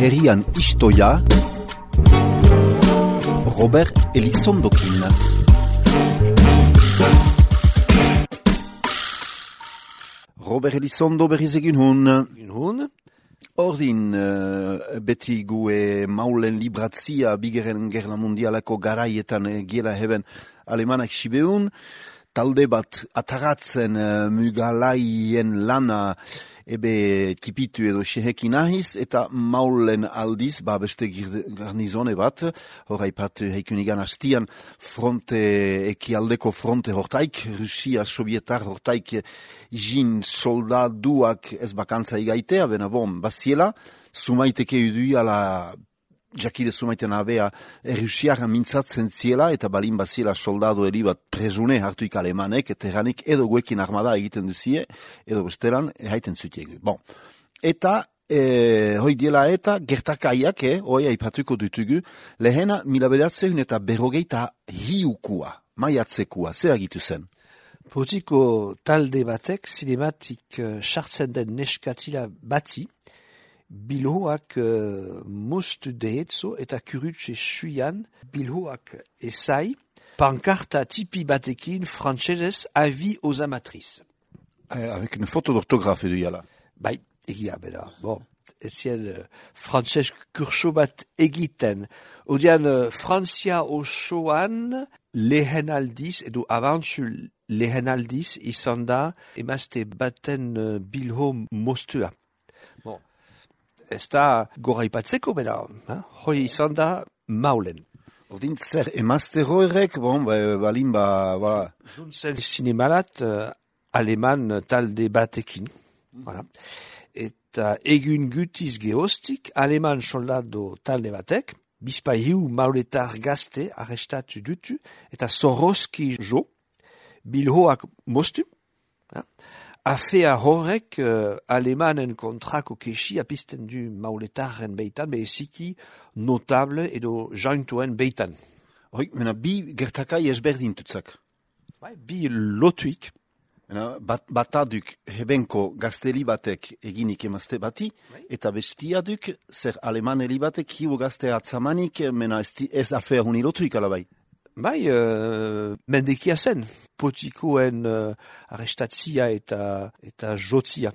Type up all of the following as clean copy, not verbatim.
herrian istoia, Robert Elizondokin. Robert Elizondo berriz egin hun. Ordin, beti gue maulen libratzia bigeren gerla mundialako garaietan giela heben alemanak sibeun, talde bat ataratzen mugalaien lana ebe tipitu edo sehekin ahiz, eta maulen aldiz, beste garnizone bat, horreipat heikunigan hastian fronte, ekialdeko fronte hortaik, Rusia sovietar hortaik jin soldaduak ez bakantza igaitea, bena baziela, sumaiteke udui ala jakide sumaiten abea Rusiara mintzatzen ziela, eta balin baziela soldado eri bat presune hartuik alemanek, eta eranik edo guekin armada egiten duzie, edo besteran haiten zutiegu. Eta, hoi diela eta gertakaiak, hoi aipatuko dutugu, lehena mila bederatzehun eta berrogeita hiukua, maiatzekua, zer agitu zen? Potiko talde batek zinematik sartzen den neskatila bati, bilhoak moztu dehetzo eta kurutxe suian bilhoak esai, pankarta tipi batekin frantsesez avis aux amatrices. Avec une faute d'orthographe edo jala. Bai, egia bera. Ezien frantses kurso bat egiten. Odian Frantzia osoan lehen aldiz, edo abantzu lehen aldiz izan da emazte baten bilho moztua. Ez da goraipatzeko bera, hoi izan da maulen. Ordin zer emazte horrek, balin Juntzen zinemalat aleman talde batekin. Eta egun gutiz geostik, aleman soldado talde batek, bizpaiu mauletar gazte arrestatu dutu, eta Soroski jo, bilhoak moztu, afea horrek alemanen kontrako kesia pizten du mauletaren beitan, beziki notable edo jaintuen beitan. Hoi, mena bi gertakai ezberdin tutzak. Bi lotuik. Bata duk hebenko gazteli batek eginik emazte bati, eta bestia duk zer alemane batek hiu gazte atzamanik, mena ez afea huni lotuik alabai. Mendekia zen, potikoen arrestatzia eta jotzia.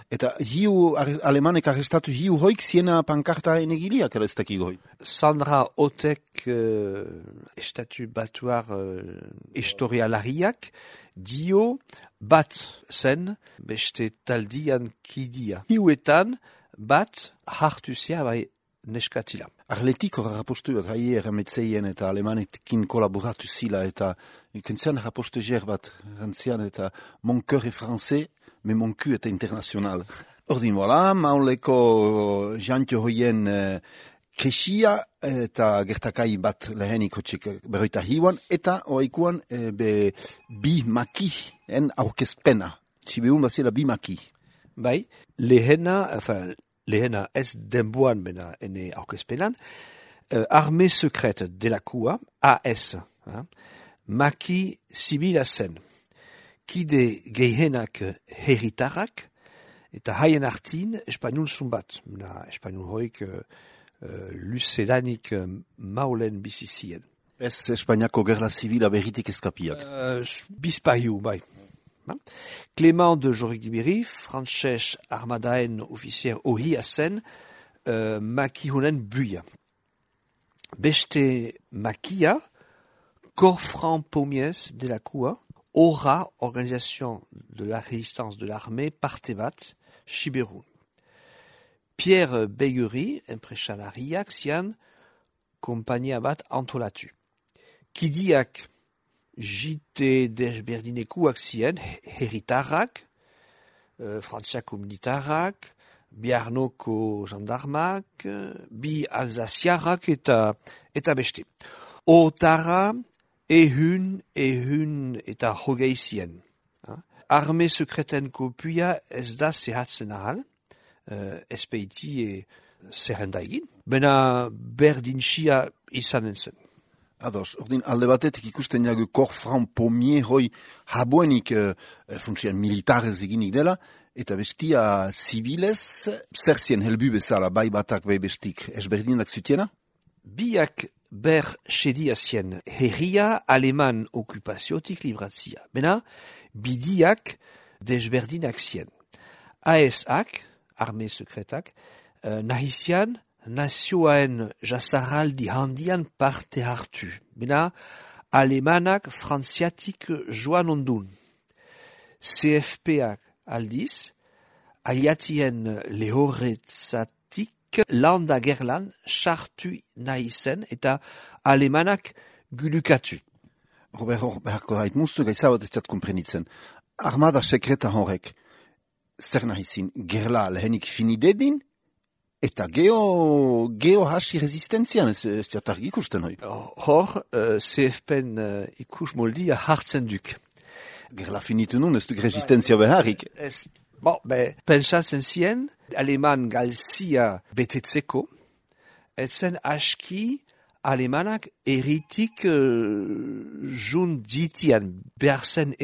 Eta hiu alemanek arrestatu hiu hoik ziena pankarta enegiliak ez hoi? Sandra Otek estatu batuar historialariak dio bat zen beste taldian kidia. Hiuetan bat hartu zea neskatila. Arletik hor rapostu bat haie errametzeien eta alemanekin kolaboratu zila eta ikentzean rapostu jer bat rantzian eta mon cœur est français, mais mon cul est international. Ordin, voilà, mauleko jantio hoien kesia eta gertakai bat lehenik hotxik berroita hiuan eta oaikuan bi maki en aurkezpena. Sibeun bazila bi maki. Lehena ez denboan bena ene aurkezpenan, Armée secrète de la Kua, AS, maki zibila zen, kide gehenak herritarrak, eta haien artin espainol zumbat, espainol hoik luzedanik maulen bizizien. Ez Espainiako gerla zibila berritik eskapiak. Bizpaiu, Clément de Jorik-Dibiri, frantses armadaen ofizier ohia zen, maki honen buia. Beste makia, Corfran Pommiers de la Coua, Ora, Organisation de la Résistance de l'Armée, parte bat, Siberun. Pierre Begueri, enpresalariak zian, kompania bat antolatu. Kidiak jite desberdinekuak zien, herritarrak, frantziako militarrak, biarnoko gendarmak, bi alzaziarrak eta beste. Otara, ehun eta hogei zien. Arme sekreten kopia ez da zehatzen ahal, espeiti zerrenda egin, bena berdintxia izanen zen. Ados, ordin alde batetik ikusten jagu Corfran Pommier hoi habuenik funtsian militarez eginik dela, eta bestia zibilez, zer zien helbu bezala, bai batak bai bestik, ezberdinak zutiena? Biak ber sedia zien herria aleman okupaziotik libratzia. Bena, bidiak desberdinak zien. AS-ak, arme sekretak, nahizian, nazioaen jasaraldi handian parte hartu. Bena, alemanak frantziatik joan ondun. CFP-ak aldiz, aiatien lehorretzatik landa gerlan sartu nahi zen eta alemanak gulukatu. Robert, beharko da, itmuztu gaizabat ez komprenitzen. Armada sekreta horrek, zer nahi zin, gerla lehenik finidedin, eta geo hasi resistentzian, ez jatargi ikusten hoi. Hor, CFP-en ikus moldia hartzen duk. Gerla finitu nun, ez duk resistentzia beharrik. Pentsatzen zien, aleman galzia betetzeko, etzen aski alemanak eritik jun ditian behar zen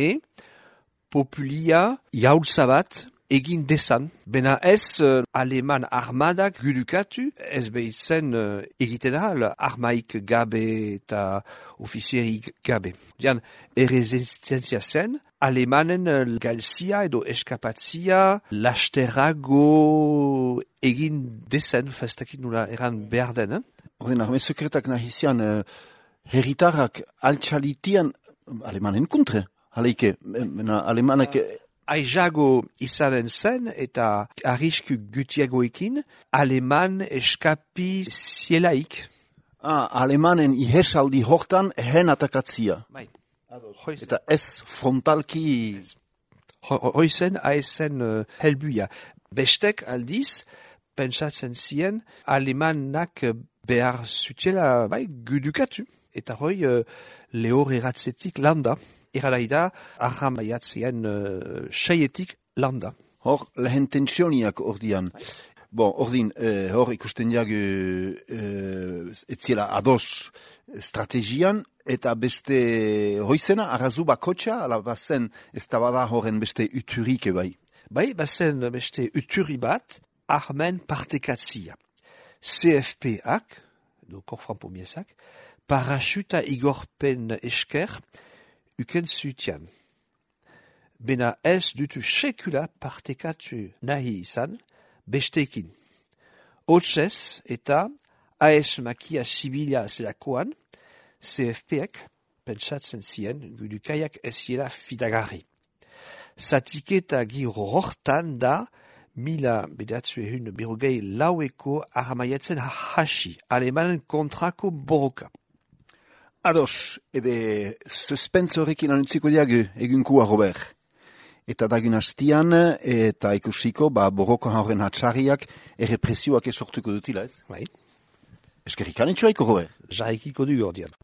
populia jaultzabat egin desan. Bena ez aleman armadak gudukatu, ez behitzen egiten ahal armaik gabe eta ofizierik gabe. Dian, erresistentzia zen, alemanen galzia edo eskapatzia lasterago egin desen, festakit nula eran behar den. Horren, arme sekretak nahizian herritarrak altxalitian alemanen kontre. Haleike, alemanak... Aizago izanen zen eta arrisku gutiagoekin aleman eskapi zielaik. Alemanen ihesaldi hortan hen atakatzia. Bai. Eta ez frontalki... Hoizen haezen helbuia. Bestek aldiz, pentsatzen zien, alemanak behar zutela gudukatu. Eta hoi lehor eratzetik landa. Eralaida, aham baiatzien seietik landa. Hor, lehen tensioniak ordian. Bon, ordin, hor ikusten jagu etziela ados strategian, eta beste hoizena, arrazu bakotxa, ala bazen ez da bada horren beste uturike bai. Bai, bazen beste uturi bat, armen partekatzia. CFP-ak, do Corfran Pommierzak, parasuta igorpen esker, uken zutian. Bena ez dutu sekula partekatu nahi izan, besteekin. Hotzez eta AS makia zibilia zelakoan, CFP-ek pentsatzen zien gudukaiak ez ziela fidagarri. Zatiketa giro hortan da 1904 armaiatzen hasi, alemanen kontrako borroka. Ados, ebe suspense horrekin anutziko diagu egunkua, Robert. Eta dagun hastian, eta ikusiko, borroko horren hatxarriak errepresioak esortuko dutila, ez? Bai. Eskerrik anitxoaiko, Robert. Jaikiko du gordian.